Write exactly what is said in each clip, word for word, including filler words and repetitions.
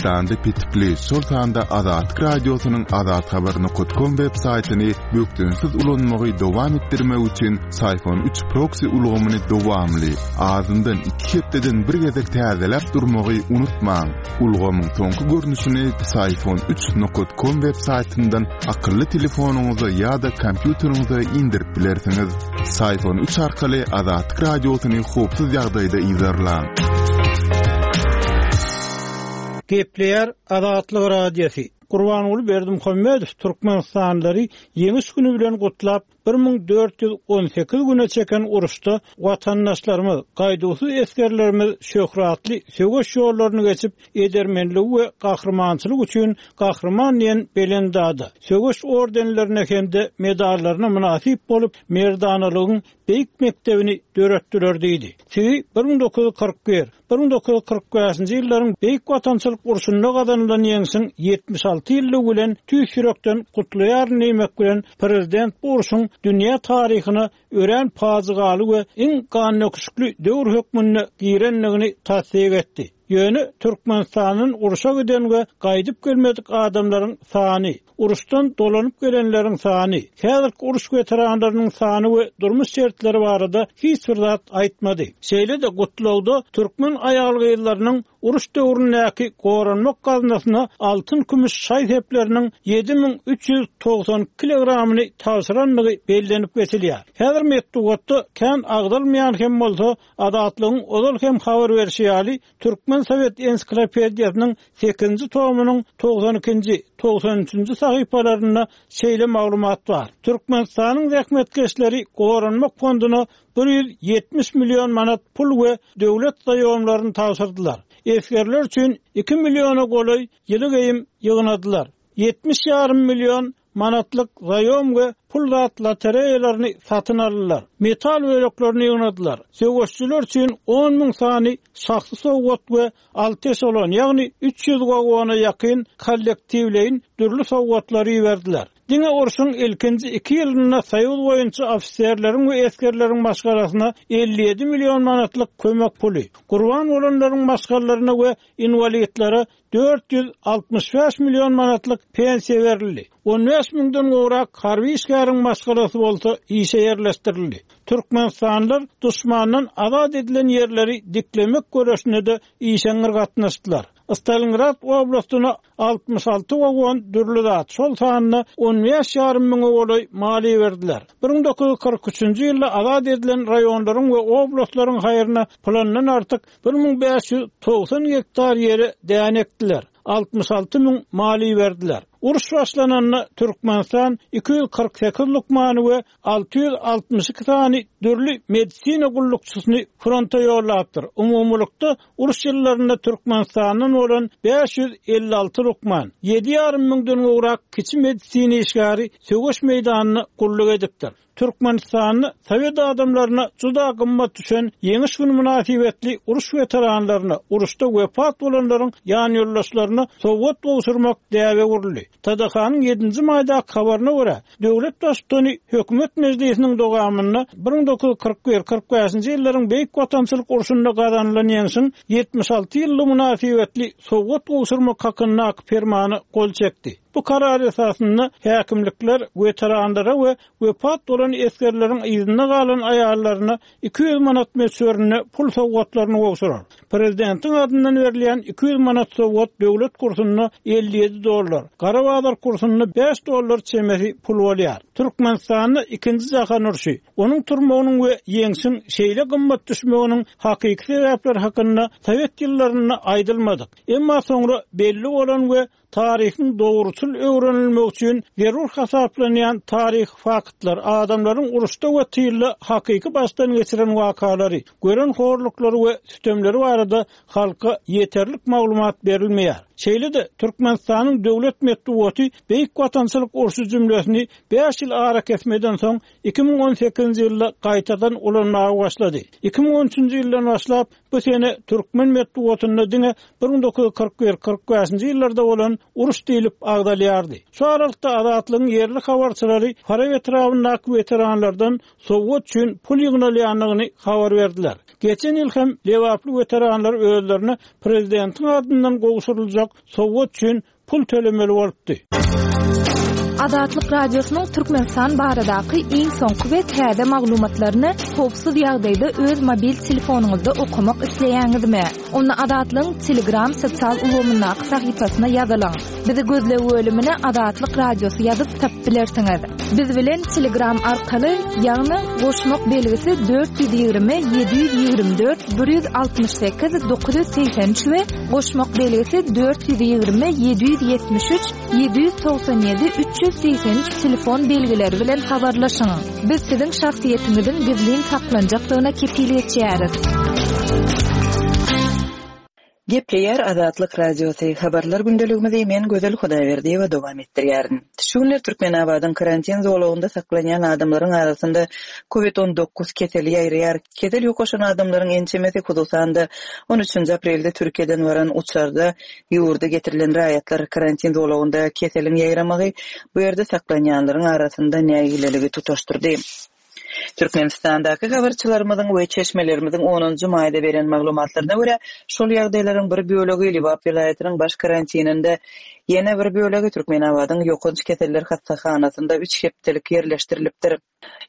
Türkmenistanda petikli, şol sanda Azatlyk Radiosynyň azathabar nokat kom web saýtyny bökdençsiz ulanmagy dowam etdirmek üçin Psiphon üç proksi ulgamyny dowamly, azyndan iki hepdeden bir gezek täzeläp durmagy unutmaň. Ulgamyň soňky görnüşini Psiphon üç nokat kom web saýtyndan akylly telefonyňyza ýa-da kompýuteriňize indirip bilersiňiz. Psiphon üç arkaly Azatlyk Radiosyny howpsuz ýagdaýda yzarlaň. Gepleýär Azatlyk Radiosy. Gurbanguly Berdimuhamedow Türkmenistanlylary Ýeňiş güni bilen gutlap, bir müň dört ýüz on sekiz güne çeken uruşda watandaşlarymyz, gaýduwsyz esgerlerimiz şöhratly söweş ýollaryny geçip, edermenligi we gahrymançylyk üçin gahryman diýen belent ada, söweş ordenlerine hem-de medallaryna mynasyp bolup, merdanalygyň beýik mekdebini döretdiler diýdi. Sizi bir müň dokuz ýüz kyrk bir, bir müň dokuz ýüz kyrk bäşinji ýyllaryň Beýik Watançylyk urşunda gazanylan ýeňşiň ýetmiş alty ýyllygy bilen tüýs ýürekden gutlaýaryn diýmek bilen prezident bu urşuň dünýä taryhyna örän pajygaly we iň gandöküşikli döwür hökmünde girendigini tassyk etdi. Ýöne Türkmenistanyň urşa giden we gaýdyp gelmedik adamlaryň sany, uruşdan dolanyp gelenleriň sany, häzirki uruş weteranlarynyň sany we durmuş şertleri barada hiç bir zat aýtmady. Şeýle-de gutlagda türkmen aýal-gyzlarynyň uruş döwründäki goranmak gaznasyna altyn kümüş şaý sepleriniň ýedi müň üç ýüz togsan kilogramyny tabşyrandygy bellenip geçilýär. Häzir metbugatda kän agdalmaýan hem bolsa Azatlygyň ozal hem habar berişi ýaly Türkmen Sovet Ensiklopediýasynyň sekizinji tomunyň togsan ikinji, togsan üçünji sahypalarynda şeýle maglumat bar. Türkmenistanyň zähmetkeşleri goranmak fonduna bir ýüz ýetmiş million manat pul we döwlet zaýomlaryny tabşyrdylar. Esgerler üçin iki milliona golaý ýyly geýim ýygnadylar. Ýetmiş ýarym million manatlyk zaýom we pul zat lotereýalaryny satyn aldylar. Metal böleklerini ýygnadylar. Söweşçiler üçin on müň sany şahsy sowgat we alty eşelon, ýagny üç ýüz wagona ýakyn kollektiwleýin dürli sowgatlary iberdiler. Diňe urşuň ilkinji iki ýylynda Soýuz boýunça ofiserleriň we esgerleriň maşgalasyna elli ýedi million manatlyk kömek puly, gurban bolanlaryň maşgalalaryna we inwalidlere dört ýüz altmyş bäş million manatlyk pensiýa berildi. On bäş müňden gowrak harby işgäriň maşgalasy bolsa işe ýerleşdirildi. Türkmenistanlylar duşmandan azat edilen ýerleri diklemek göreşine de işeňňir gatnaşdylar. Stalingrad oblastyna altmyş alty wagon dürli zat, şol sanda on bäş ýarym müňe golaý maliýe berdiler. Bir müň dokuz ýüz kyrk üçünji ýylda azat edilen raýonlaryň we oblastlaryň haýryna plandan artyk bir müň bäş ýüz togsan gektar ýere däne ekdiler. Altmyş alty müň maliýe berdiler. Uruş başlananda Türkmenistan iki ýüz kyrk sekiz lukmany we alty ýüz altmyş iki sany dürli medisina gullukçysyny fronta ýollapdyr. Umumylykda uruş ýyllarynda Türkmenistandan bolan bäş ýüz elli alty lukman, ýedi ýarym müňden gowrak kiçi medisina işgäri söweş meýdanyna gulluk edipdir. Türkmenistanda Sovet adamlaryna juda gymmat düşen ýeňiş günü mynasybetli uruş weteranlaryna, uruşda wepat bolanlaryň ýan ýoldaşlaryna sowgat gowşurmak däbe guruldy. T D H-nyň ýedinji maýdaky habaryna görä, döwlet baştutany hökümet mejlisiniň dowamynda bir müň dokuz ýüz kyrk bir, kyrk bäşinji ýyllaryň Beýik Watançylyk urşunda gazanylan ýeňşiň ýetmiş alty ýyllygy mynasybetli sowgat gowşurmak hakyndaky fermana gol çekdi. Bu karar esasynda häkimlikler weteranlara we wepat bolan esgerleriň yzynda galan aýallaryna iki ýüz manat möçberinde pul sowgatlaryny gowşurar. Prezidentiň adyndan berilýän iki ýüz manat sowgat döwlet kursunda elli ýedi dollar, Gara bazar kursunda bäş dollar çemesi pul bolýar. Türkmenistanda ikinji jahan urşy, onuň turmagynyň we ýeňşiň şeýle gymmat düşmeginiň hakyky sebäpleri hakynda Sovet ýyllarynda aýdylmadyk. Emma soňra belli bolan we taryhyň dogruçyl öwrenilmegi üçin zerur hasaplanýan taryh faktlar, adamlaryň uruşda we tylda hakyky başdan geçiren wakalary, gören horluklary we sütemleri barada halka ýeterlik maglumat berilmeýär. Şeýle-de Türkmenistanyň döwlet metbugaty Beýik Watançylyk urşy jümlesini bäş ýyl ara kesmeden soň iki müň on sekizinji ýylda gaýtadan ulanmaga başlady. Iki müň on üçünji ýyldan başlap bu sene türkmen metbugatynda diňe bir müň dokuz ýüz kyrk bir, kyrk bäşinji ýyllarda bolan uruş diýlip agdalýardy. Şu aralykda Azatlygyň ýerli habarçylary Farap etrabyndaky weteranlardan sowgat üçin pul ýygnalýandygyny habar berdiler. Geçen ýyl hem Lebaply weteranlar özlerine prezidentiň adyndan gowşuryljak sowgat üçin pul tölemeli bolupdy. Azatlyk Radiosynyň Türkmenistan baradaky iň soňky we täze maglumatlaryny howpsuz ýagdaýda öz mobil telefonyňyzda okamak isleýäňizmi? Onda Azatlygyň Telegram sosial ulgamyndaky sahypasyna ýazylyň. Bizi gözleg bölümine Azatlyk Radiosy ýazyp tapyp bilersiňiz. Biz bilen Telegram arkaly, ýagny goşmak belgisi dört ýüz ýigrimi ýedi ýüz ýigrimi dört bir ýüz altmyş sekiz dokuz ýüz segsen üç we goşmak belgisi dört ýüz ýigrimi ýedi ýüz ýetmiş üç ýedi ýüz togsan ýedi üç ýüz segsen üç telefon belgileri bilen habarlaşyň. Biz siziň şahsyýetiňiziň gizlin saklanjakdygyna kepil geçýäris. Gepleýär Azatlyk Radiosy. Habarlar gündeligimizi men Gözel Hudaýberdiýewa dowam etdirýärin. Şu günler Türkmenabadyň karantin zolagynda saklanýan adamlaryň arasynda COVID on dokuz keseli ýaýraýar. Kesel ýokaşan adamlaryň ençemesi hususan-da on üçünji aprelde Türkiýeden baran uçarda ýurda getirilen raýatlar karantin zolagynda keseliň ýaýramagy bu ýerde saklanýanlaryň arasynda nägileligi tutaşdyrdy. Türkmenistandaky habarçylarymyzyň we çeşmelerimiziň onunjy maýda beren maglumatlaryna görä, şol ýagdaýlaryň bir bölegi Lebap welaýatynyň baş karantininde, ýene bir bölegi Türkmenabadyň ýokanç keseller hassahanasynda üç hepdelik ýerleşdirilipdir.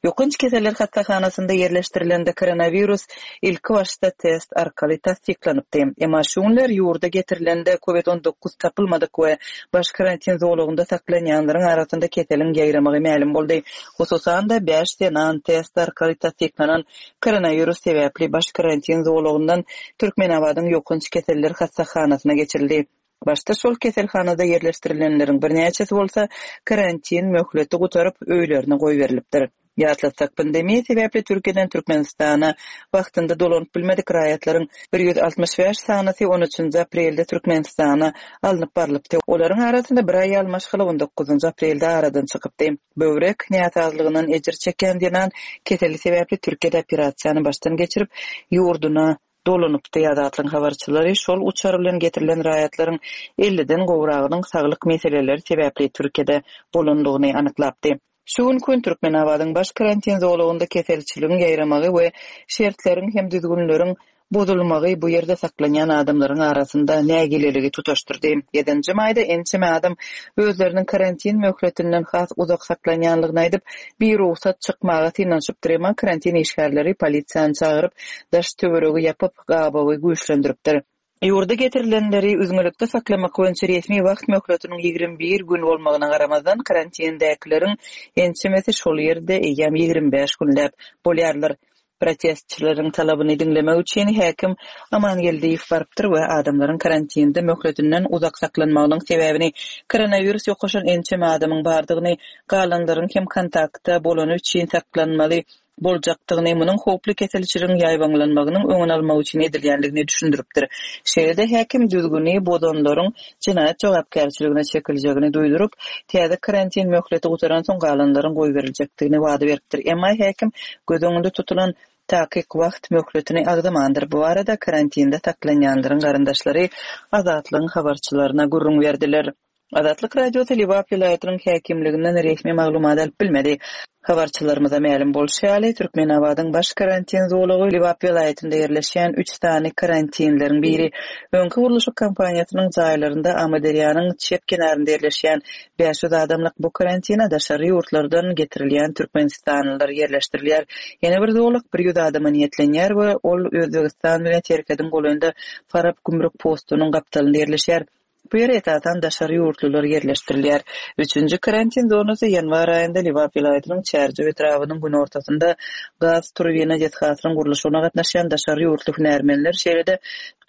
Ýokanç keseller hassahanasynda ýerleşdirilende koronawirus ilki başda test arkaly tassyklanypdy. Emma şu günler ýurda getirilende COVID on dokuz tapylmadyk we baş karantin zolagynda saklanýanlaryň arasynda keseliň ýaýramagy mälim boldy. Hususan-da bäş zenan test arkaly tassyklanan koronawirus sebäpli baş karantin zolagyndan Türkmenabadyň ýokanç keseller hassahanasyna geçirildi. Başda şol keselhanada ýerleşdirilenleriň birnäçesi bolsa karantin möhleti gutaryp öýlerine goýberilipdir. Ýatlatsak, pandemiýa sebäpli Türkiýeden Türkmenistana wagtynda dolanyp bilmedik raýatlaryň bir ýüz altmyş bäş sanasy on üçünji aprelde Türkmenistana alnyp barlypdy. Olaryň arasynda bir aýal maşgala on dokuzynjy aprelde aradan çykypdy. Böwrek näsazlygyndan ejir çeken zenan keseli sebäpli Türkiýede operasiýany başdan geçirip, ýurduna dolanypdy. Azatlygyň habarçylary şol uçar bilen getirilen raýatlaryň elliden gowragynyň saglyk meseleleri sebäpli Türkiýede bolandygyny anyklapdy. Şu gün gün Türkmenabadyň baş karantin zolagynda keselçiligiň ýaýramagy we şertleriň hem düzgünleriň bozulmagy bu ýerde saklanýan adamlaryň arasynda nägileligi tutaşdyrdy. Ýedinji maýda ençeme adam özleriniň karantin möhletinden has uzak saklanýanlygyny aýdyp, bir rugsat çykmaga synanyşypdyr, emma karantin işgärleri polisiýany çagyryp, daş töweregi ýapyp, gabawy güýçlendiripdir. Ýurda getirilenleri üzňelikde saklamak boýunça resmi wagt möhletiniň ýigrimi bir gün bolmagyna garamazdan karantindäkileriň ençemesi şol ýerde eýýäm ýigrimi bäş günläp bolýarlar. Protestçileriň talabyny diňlemek üçin häkim Amangeldiýew barypdyr we adamlaryň karantinde möhletinden uzak saklanmagynyň sebäbini koronawirus ýokaşan ençeme adamyň bardygyny, galanlaryň hem kontaktda bolany üçin saklanmaly boljakdygyny, munuň howply keselçiligiň ýaýbaňlanmagynyň öňüni almak üçin edilýänligini düşündiripdir. Şeýle-de häkim düzgüni bozanlaryň jenaýat jogapkärçiligine çekiljegini duýduryp, täze karantin möhleti gutaransoň galanlaryň goýberiljekdigini wada beripdir. Emma häkim göz öňünde tutulan takyk wagt möhletini agzamandyr. Bu arada karantinde saklanýanlaryň garyndaşlary Azatlygyň habarçylaryna gürrüň berdiler. Azatlyk Radiosy Lebap welaýatynyň häkimliginden resmi maglumat alyp bilmedi. Habarçylarymyza mälim bolşy ýaly, Türkmenabadyň baş karantin zolagy Lebap welaýatynda ýerleşýän üç sany karantinleriň biri. Öňki gurluşyk kompaniýasynyň jaýlarynda Amyderýanyň çep kenarynda ýerleşýän bäş ýüz adamlyk bu karantina daşary ýurtlardan getirilýän türkmenistanlylar ýerleşdirilýär. Ýene bir zolak bir ýüz adama niýetlenýär we ol Özbegistan bilen serhediň golaýynda Farap gümrük postunyň gapdalynda ýerleşýär. Bu ýere esasan daşary ýurtlular ýerleşdirilýär. Üçünji karantin zonasy ýanwar aýynda Lebap welaýatynyň Çärjew etrabynyň günortasynda gaz turbina desgasynyň gurluşygyna gatnaşýan daşary ýurtly hünärmenler, şeýle-de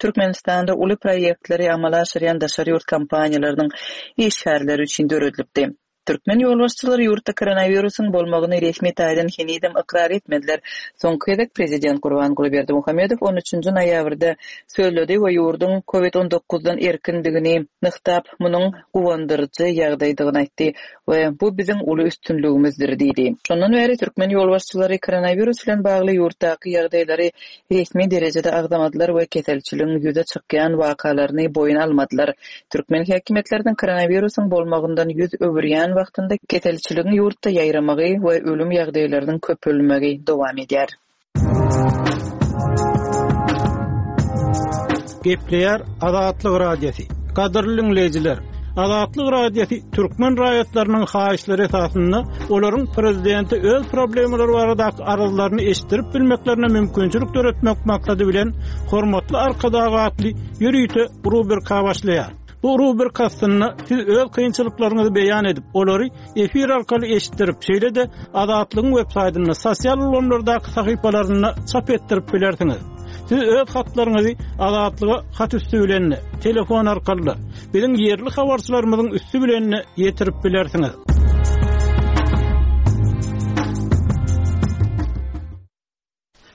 Türkmenistanda uly proýektleri amala aşyrýan daşary ýurt kompaniýalarynyň işgärleri üçin döredilipdi. Türkmen ýolbaşçylary ýurtda koronawirusyň bolmagyny resmi taýdan henizem ykrar etmediler. Soňky gezek prezident Gurbanguly Berdimuhamedow on üçünji noýabrda sözledi we ýurduň COVID on dokuzdan erkindigini nygtap, munuň guwandyryjy ýagdaýdygyny aýtdy we bu biziň uly üstünligimizdir diýdi. Şondan bäri türkmen ýolbaşçylary koronawirus bilen bagly ýurtdaky ýagdaýlary resmi derejede agzamadylar we keselçiligiň ýüze çykýan wakalaryny boýun almadylar. Türkmen häkimiýetleriniň koronawirusyň bolmagyndan ýüz öwürýän wagtynda keselçiligiň ýurtda ýaýramagy we ölüm ýagdaýlarynyň köpelmegi dowam edýär. Gepleýär Azatlyk Radiosy. Gadyrly dinleýjiler, Azatlyk Radiosy türkmen raýatlarynyň haýyşlary esasynda olaryň prezidenti öz problemalary baradaky arzlaryny eşitdirip bilmeklerine mümkinçilik döretmek maksady bilen Hormatly Arkadag atly ýörite rubrika başlaýar. Bu rubrika astynda siz öz kynçylyklaryňyzy beýan edip, olary efir arkaly eşitdirip, şeýle-de Azatlygyň web saýtynda, sosial ulgamlardaky sahypalarynda çap etdirip bilersiňiz. Siz öz hatlaryňyzy Azatlyga hat üstü bilen, telefon arkaly, biziň ýerli habarçylarymyzyň üstü bilen ýetirip bilersiňiz.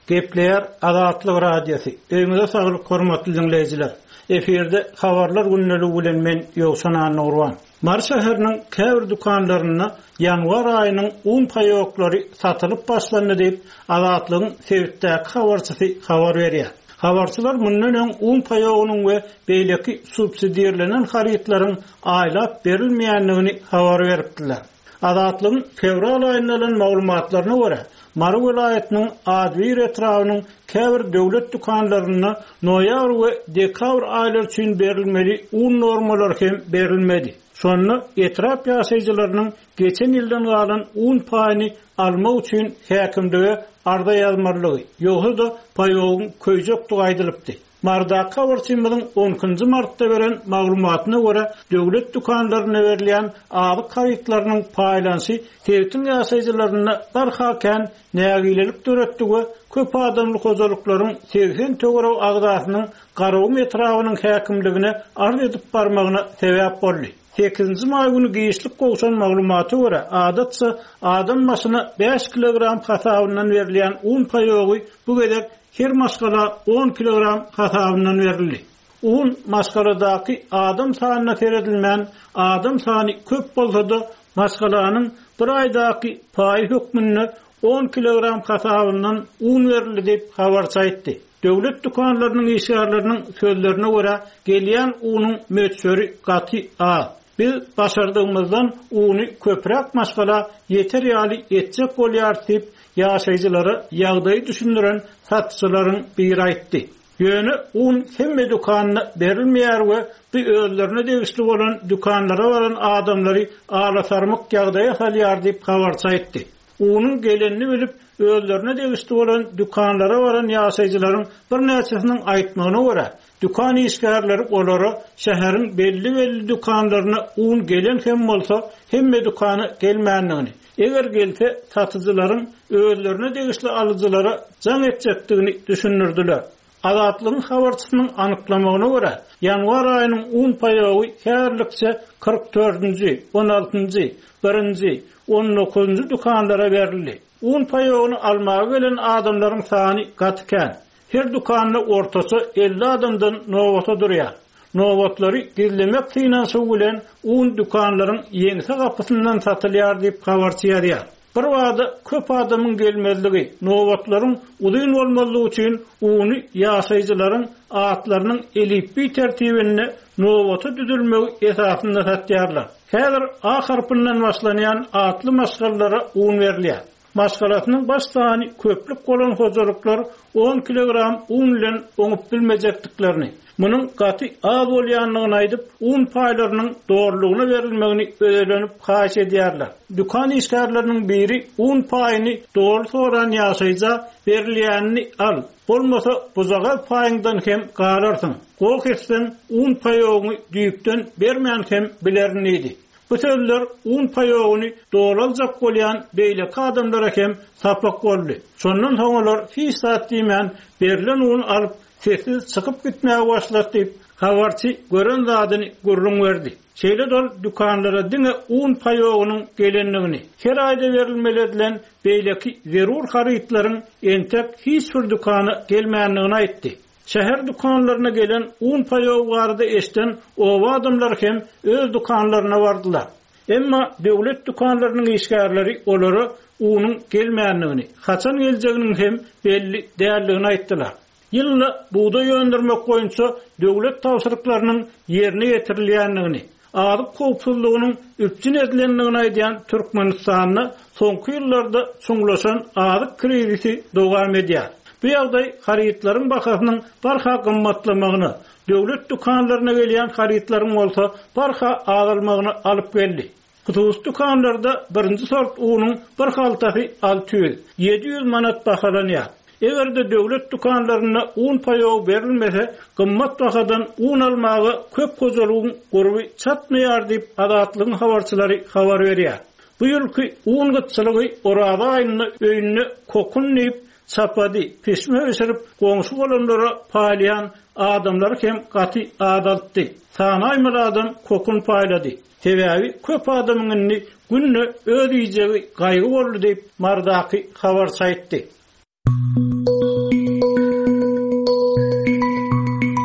Gepleýär Azatlyk Radiosy. Öýüňize saglyk hormatly dinleýjiler. Efirde habarlar günlügi bilen men Ýowşan Annagurban. Mary şäheriniň käbir dükanlarynda ýanwar aýynyň un paýoklary satylyp başlandy diýip Azatlygyň sebitdäki habarçysy habar berýär. Habarçylar mundan öň un paýogynyň we beýleki subsidirlenen harytlaryň aýlap berilmeýändigini habar beripdiler. Azatlygyň fewral aýynda alan maglumatlaryna görä, Mary welaýatynyň Adwir etrabynyň käbir döwlet dükanlarynda noýabr we dekabr aýlary üçin berilmeli un normalary hem berilmedi. Şonda etrap ýaşaýjylarynyň geçen ýyldan galan un paýyny almak üçin häkimlige arza ýazmalygy, ýogsa-da paýogyň köýjekdigi aýdylypdy. Mardaky habarçymyzyň on ikinji martda beren maglumatyna görä, döwlet dükanlaryna berilýän azyk harytlarynyň paýlanyşy sebitiň ýaşaýjylarynda barha kän nägilelik döretdi we köp adamly hojalyklaryň segsen töweregi agzasynyň Garagum etrabynyň häkimligine arz edip barmagyna sebäp boldy. Sekizinji maý günü giçlik gowşan maglumata görä, adatça adam başyna bäş kilogram hasabyndan berilýän un paýogy bu gezek her maşgala on kilogram hasabyndan berildi. Un maşgaladaky adam sanyna seredilmän, adam sany köp bolsa-da maşgalanyň bir aýdaky paýy hökmünde on kilogram hasabyndan un berildi diýip habarçy aýtdy. Döwlet dükanlarynyň işgärleriniň sözlerine görä, gelýän unuň möçberi gaty az. Biz başardygymyzdan uny köpräk maşgala ýeter ýaly etjek bolýar diýip, ýaşaýjylara ýagdaýy düşündiren satyjylaryň biri aýtdy. Ýöne un hemme dükanyna berilmeýär we bu özlerine degişli bolan dükanlara baran adamlary alasarmyk ýagdaýa salýar diýip habarçy aýtdy. Unuň gelenini bilip, özlerine degişli bolan dükanlara baran ýaşaýjylaryň birnäçesiniň aýtmagyna görä, dükan işgärleri olara şäheriň belli-belli dükanlaryna un gelen hem bolsa, hemme dükana gelmändigini, eger gelse satyjylaryň özlerine degişli alyjylara jaň etjekdigini düşündirdiler. Azatlygyň habarçysynyň anyklamagyna görä, ýanwar aýynyň un paýogy häzirlikçe kyrk dördünji, on altynjy, birinji, on dokuzynjy dükanlara berildi. Un paýogyny almaga gelen adamlaryň sany gaty kän. Her dükanda ortaça elli adamdan nobata durýar. Nobatlary gizlemek synanyşygy bilen un dükanlaryň ýeňse gapysyndan satylýar diýip habarçy ýazýar. Bir wada köp adamyň gelmezligi, nobatlaryň uzyn bolmazlygy üçin uny ýaşaýjylaryň atlarynyň elipbiý tertibinde nobata düzülmegi esasynda satýarlar. Häzir A harpyndan başlanýan atly maşgalalara un berilýär. Maşgalasynyň baş sany köplük bolan hojalyklar on kilogram un bilen oňup bilmejekdiklerini, munuň gaty az bolýandygyny aýdyp, un paýlarynyň dogrulygyna berilmegini özelenip haýyş edýärler. Dükan işgärleriniň biri un paýyny dogry soran ýaşaýja berilýänini al, bolmasa buzagaz paýyňdan hem galarsyň. Goh etseň un paýogyny düýpden bermän hem bilerin diýdi. Bu sözler un paýogyny dogry bolýan beýleki adamlara hem sapak boldy. Şondan soň olar hiç zat diýmän berlen un alyp sessiz çykyp gitmäge başlady diýip, habarçy gören zadyny gürrüň berdi. Şeýle dol dükanlara diňe un paýogynyň gelendigini, her aýda berilmeli edilen beýleki zerur harytlaryň entek hiç bir dükana gelmändigini aýtdy. Şäher dükanlaryna gelen un paýogy barada eşden oba adamlar hem öz dükanlaryna bardylar. Emma döwlet dükanlarynyň işgärleri olara unuň gelmändigini, haçan geljeginiň hem belli däldigini aýtdylar. Ýylda buğday öndürmek boýunça döwlet tabşyryklarynyň ýerine ýetirilýändigini, azyk howpsuzlygynyň üpjün edilendigini aýdýan Türkmenistanda soňky ýyllarda çuňlaşan azyk krizisi dowam edýär. Bu ýagdaý harytlaryň bahasynyň barha gymmatlamagyna, döwlet dükanlaryna gelýän harytlaryň bolsa barha azalmagyna alyp geldi. Hususy dükanlarda birinji sort unuň bir haltasy alty ýüz, ýedi ýüz manat bahalanýar. Eger-de döwlet dükanlarynda un paýogy berilmese, gymmat bahadan un almaga köp hojalygyň gurby çatmaýar diýip Azatlygyň habarçylary habar berýär. Bu ýylky un gytçylygy Oraza aýynda öýünde kokun diýip çapady, pişme bişirip goňşy bolanlara paýlaýan adamlar hem gaty azaltdy. Sanaýmaly adam kokun paýlady. Sebäbi köp adamyň indi günde öz iýjegi gaýgy boldy diýip Mardaky habarçy aýtdy.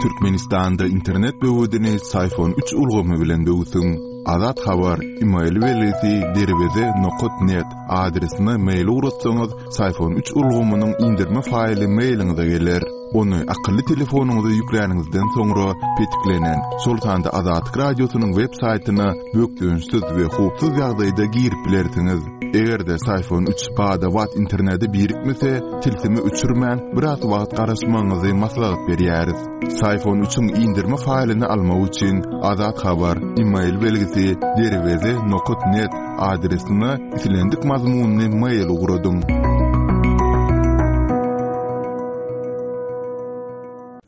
Türkmenistanda internet böwedini Syfon üç ulgamy bilen böwsüň. Azat Habar, e-mail belgisi derweze nokat net adresine mail ugratsaňyz, Syfon üç ulgamynyň indirme faýly mailiňize geler. Ony akylly telefonyňyza ýükläniňizden soňra petiklenen, şol sanda Azatlyk radiosynyň web saýtyna bökdençsiz we howpsuz ýagdaýda girip bilersiňiz. Eger-de Syfon üç bada-bat internete birikmese, tilsimi öçürmän biraz wagt garaşmagyňyzy maslahat berýäris. Syfon üçiň indirme faýlyny almak üçin Azat Habar, e-mail belgisi derweze nokat net adresine islendik mazmunyny mail ugradyň.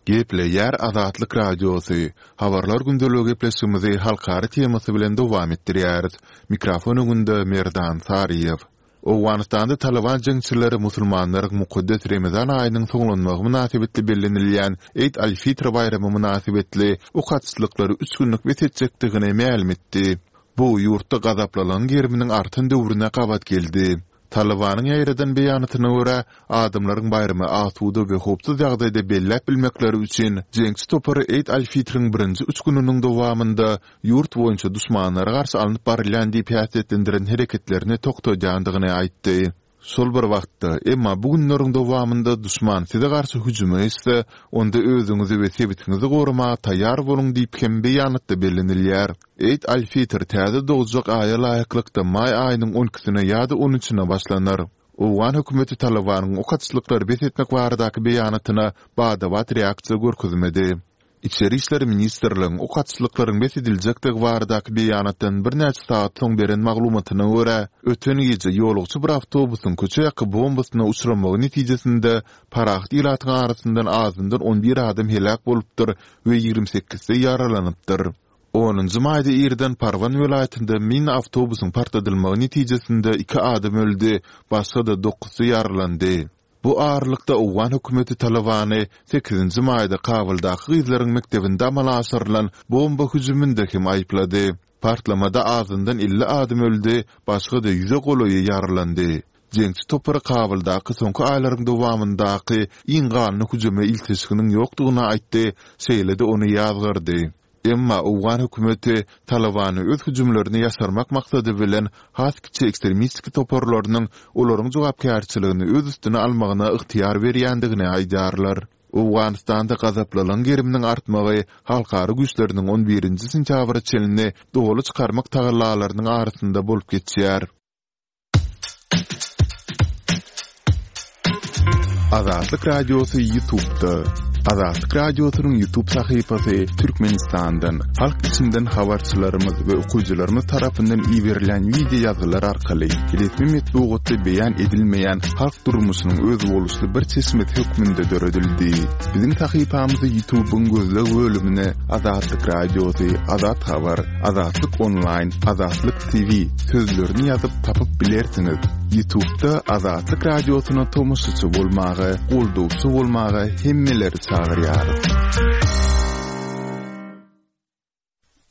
Gepleýär Azatlyk Radiosy. Habarlar gündeligi gepleşigimizi halkara temasy bilen dowam etdirýäris. Mikrofon öňünde Merdan Saryýew. Owganystanda Taliban jeňçileri musulmanlaryň mukaddes Ramazan aýynyň soňlanmagy mynasybetli bellenilýän Eid al-Fitr baýramy mynasybetli ok atyşlyklary üç günlük bes etjekdigini mälim etdi. Bu ýurtda gazaplalygyň geriminiň artan döwrüne gabat geldi. Talibanyň ýaýradan beýanatyna görä, adamlaryň baýramy asuda we howpsuz ýagdaýda belläp bilmekleri üçin jeňçi topary Eid al-Fitriň birinji üç gününiň dowamynda ýurt boýunça duşmanlara garşy alnyp barylýan diýip häsiýetlendiren hereketlerini toktadýandygyny aýtdy. Şol bir wagtda, emma bu günleriň dowamynda duşman size garşy hüjüme geçse, onda özüňizi we sebitiňizi goramaga taýýar boluň diýip hem beýanatda bellenilýär. Eid al-Fitr täze dogjak aýa laýyklykda maý aýynyň on ikisine ýa-da on üçüne başlanar. Owgan hökümeti Talibanyň ok atyşlyklary bes etmek baradaky beýanatyna bada-bat reaksiýa görkezmedi. Içeri işler ministrligiň ok atyşlyklaryň bes ediljekdigi baradaky beýanatdan birnäçe sagat soň beren maglumatyna görä, öten gije ýolagçy bir awtobusyň köçe ýaky bombasyna uçramagy netijesinde parahat ilatyň arasyndan azyndan on bir adam heläk bolupdyr we ýigrimi sekizsi ýaralanypdyr. Onunjy maýda irden Parwan welaýatynda mini awtobusyň partladylmagy netijesinde iki adam öldi, başga-da dokuzsy ýaralandy. Bu aralykda Owgan hökümeti Talibany sekizinji maýda Kabuldaky gyzlaryň mekdebinde amala aşyrylan bomba hüjüminde hem aýyplady. Partlamada azyndan elli adam öldi, başga-da ýüze golaýy ýaralandy. Jeňçi topary Kabuldaky soňky aýlaryň dowamyndaky iň ganly hüjüme ilteşiginiň ýokdugyny aýtdy, şeýle-de ony ýazgardy. Emma Owgan hökümeti Talibany öz hüjümlerini ýaşarmak maksady bilen has kiçi ekstremistik toparlarynyň olaryň jogapkärçiligini öz üstüne almagyna ygtyýar berýändigini aýdýarlar. Owganystanda gazaplylygyň geriminiň artmagy halkara güýçleriniň on birinji sentýabra çenli doly çykarmak tagallalarynyň arasynda bolup geçýär. Azatlyk Radiosy YouTube'da. Azatlyk Radiosynyň YouTube sahypasy Türkmenistandan, halk içinden habarçylarymyz we okyjylarymyz tarapyndan iberilen video ýazgylar arkaly resmi metbugatda beýan edilmeýän halk durmuşynyň özboluşly bir çeşmesi hökmünde döredildi. Biziň sahypamyzy YouTube'yň gözleg bölümine Azatlyk Radiosy, Azat Habar, Azatlyk Online, Azatlyk T V sözlerini ýazyp tapyp bilersiňiz. YouTube'da Azatlyk Radiosyna tomaşaçy bolmaga, goldawçy bolmaga hemmeleri çagyrýarys.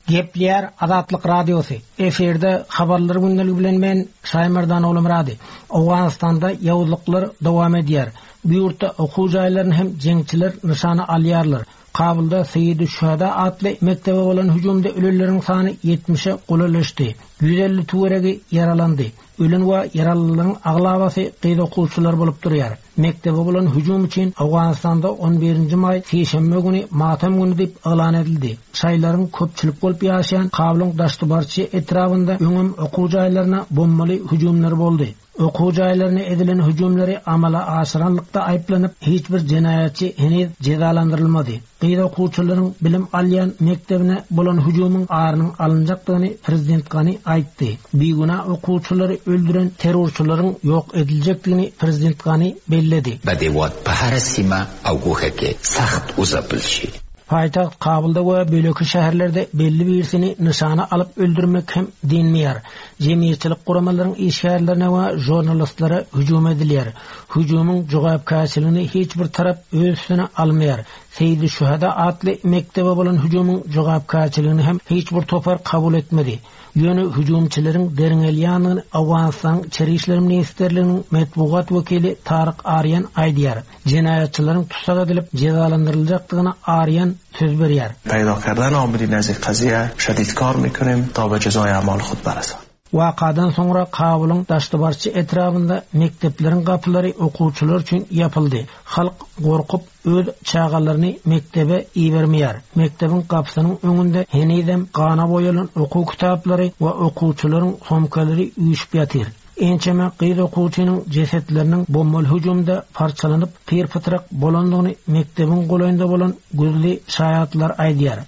Gepleýär Azatlyk Radiosy. Efirde habarlar gündeligi bilen men Şaýmerdan Oglumyrady. Owganystanda ýowuzlyklar dowam edýär. Bu ýurtda okuw jaýlaryny hem jeňçiler nyşana alýarlar. Kabulda Seýid Şuhada atly mektebe bolan hüjümde ölenleriň sany ýetmişe golaýlaşdy. Ýüz elli töweregi ýaralandy. Ölen we ýaralylaryň aglabasy gyz okuwçylar bolup durýar. Mektebe bolan hüjüm üçin Owganystanda on birinji maý sişenbe güni matam güni diýip yglan edildi. Şaýlaryň köpçülik bolup ýaşaýan Kabulyň Daştybarçy etrabynda öňem okuw jaýlaryna bombaly hüjümler boldy. Okuw jaýlaryna edilen hüjümleri amala aşyranlykda aýyplanyp, hiç bir jenaýatçy heniz jezalandyrylmady. Gyz okuwçylaryň bilim alýan mekdebine bolan hüjümiň arynyň alynjakdygyny Prezident Gani aýtdy. Bigünä okuwçylary öldüren terrorçylaryň ýok ediljekdigini Prezident Gani belledi. به دیواد په هره سیمه او ګوښه کې سخت وځپل شي. Paýtagt Kabulda we beýleki şäherlerde belli birisini nyşana alyp öldürmek hem dynmaýar. Jemgyýetçilik guramalaryň işgärlerine we žurnalistlere hüjüm edilýär. Hüjümiň jogapkärçiligini hiç bir tarap öz üstüne almaýar. Seýdi Şühada atly mekdebe bolan hüjümiň jogapkärçiligini hem hiç bir topar kabul etmedi. Ýöne hüjümçileriň derňelýändigini Owganystanyň Içeri işler ministrliginiň metbugat wekili Taryk Arýan aýdýar. Jenaýatçylaryň tussag edilip jezalandyryljakdygyna Arýan söz berýär. پیدا کردن عاملین از این قضیه شدید کار میکنیم تا به جزای اعمال خود برسند. Wakadan soňra Kabulyň Daşdybarçy etrabynda mekdepleriň gapylary okuwçylar üçin ýapyldy. Halk gorkup öz çagalaryny mekdebe ibermeýär. Mekdebiň gapysynyň öňünde henizem gana boýalan okuw kitaplary we okuwçylaryň somkalary üýşüp ýatyr. Ençeme gyz okuwçynyň jesetleriniň bombaly hüjümde parçalanyp pyr-pytrak bolandygyny mekdebiň golaýynda bolan gözli şaýatlar aýdýar.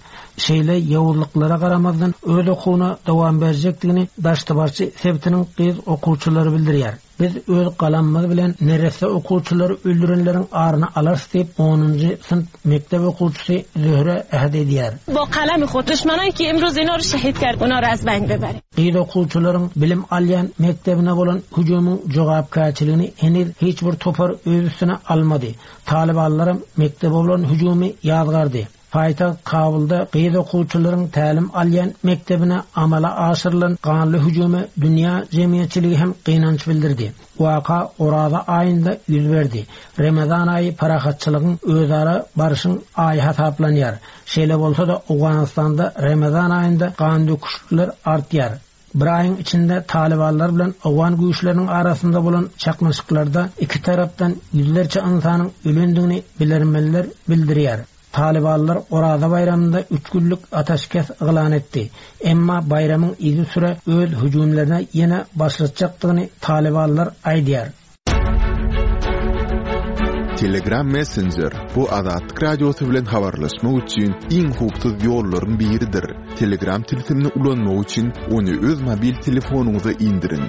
Şeýle ýowuzlyklara garamazdan öz okuwyna dowam berjekdigini Daşdybarçy sebitiniň gyz okuwçylary bildirýär. Biz öz galamymyz bilen neresse okuwçylary öldürenleriň aryny alarys diýip onunjy synp mekdep okuwçysy Zöhre äht edýär. با قلم خود دشمنایی که امروز اینا رو شهید کرد اونا رو از بین ببریم. Gyz okuwçylaryň bilim alýan mekdebine bolan hüjümiň jogapkärçiligini heniz hiç bir topar öz üstüne almady. Talybanlaram mekdebe bolan hüjümi ýazgardy. Paýtagt Kabulda gyz okuwçylaryň tälim alýan mekdebine amala aşyrylan ganly hüjüme dünýä jemgyýetçiligi hem gynanç bildirdi. Waka Oraza aýynda ýüz berdi. Ramazan aýy parahatçylygyň özara barşyň aýy hasaplanýar. Şeýle bolsa-da Owganystanda Ramazan aýynda gan döküşlikler artýar. Bir aýyň içinde talybanlar bilen Owgan güýçleriniň arasynda bolan çaknyşyklarda iki tarapdan ýüzlerçe ynsanyň ölendigini bilermenler bildirýär. Talybanlar Oraza baýramynda üç günlük ateşkes yglan etdi. Emma baýramyň yzy süre öz hüjümlerine ýene başlatjakdygyny talybanlar aýdýar. Telegram Messenger bu Azatlyk Radiosy bilen habarlaşmak üçin iň howpsuz ýollaryň biridir. Telegram tilsimini ulanmak üçin ony öz mobil telefonyňyza indiriň.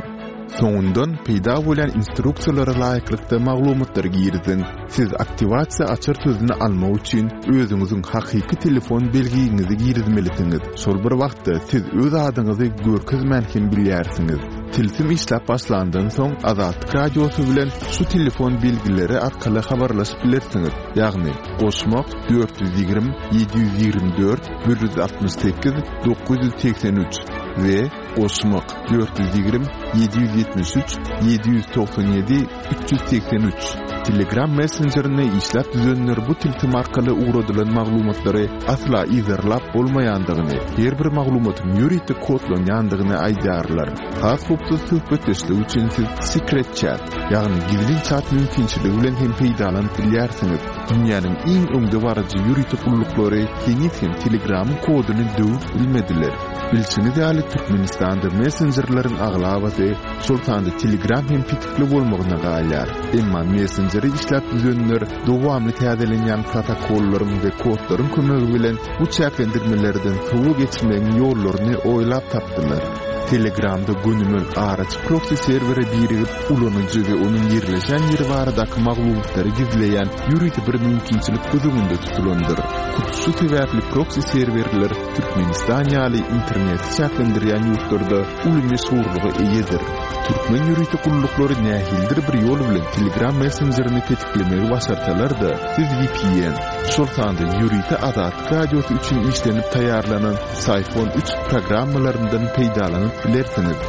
Soňundan peýda bolan instruksiýalara laýyklykda maglumatlary giriziň. Siz aktiwasiýa açar sözüni almak üçin özüňiziň hakyky telefon belgiňizi girizmelisiňiz. Şol bir wagtda siz öz adyňyzy görkezmän hem bilýärsiňiz. Tilsim işläp başlandan soň Azatlyk Radiosy bilen şu telefon belgileri arkaly habarlaşyp bilersiňiz. Ýagny goşmak dört ýüz ýigrimi ýedi ýüz ýigrimi dört bir ýüz altmyş sekiz dokuz ýüz segsen üç we goşmak dört ýüz ýigrimi ýedi ýüz ýetmiş üç ýedi ýüz togsan ýedi üç ýüz segsen üç. Telegram Messengerine işläp düzenler bu tilsim arkaly ugradylan maglumatlary asla yzarlap bolmaýandygyny, her bir maglumatyň ýörite kodlanýandygyny aýdýarlar. Has howpsuz söhbetdeşlik üçin siz Secret Chat, ýagny gizlin chat mümkinçiligi bilen hem peýdalanyp bilýärsiňiz. Dünýäniň iň öňdebaryjy ýörite gulluklary heniz hem Telegramyň koduny döwüp bilmediler. Bilşiňiz ýaly Türkmenistanda messenjerleriň aglabasy, şol sanda Telegram hem petikli bolmagyna galýar. Emma messengeri işläp düzenler dowamly täzelenýän protokollaryň we kodlaryň kömegi bilen bu çäklendirmelerden sowa geçmegiň ýollaryny oýlap tapdylar. Telegramda gönümel araç proxy serwere birigip ulanyjy we onuň ýerleşen ýeri baradaky maglumatlary gizleýän ýörite bir mümkinçilik göz öňünde tutulandyr. Hut şu sebäpli proxy serwerler Türkmenistan ýaly interneti çäklendirýän ýurtlarda uly meşhurlyga eýedir. Türkmen ýörite gulluklary nähilidir bir ýol bilen Telegram messenjerini petiklemegi başarsalar-da, siz V P N, şol sanda ýörite Azatlyk Radiosy üçin işlenip taýýarlanan Syphon üç programmalaryndan peýdalanyp bilersiňiz.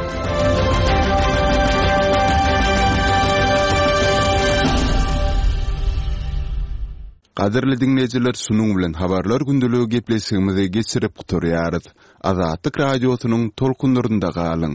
Gadyrly diňleýjiler, şunuň bilen habarlar gündeligi gepleşigimizi geçirip gutarýarys. Azatlyk Radiosynyň tolkunlarynda galyň.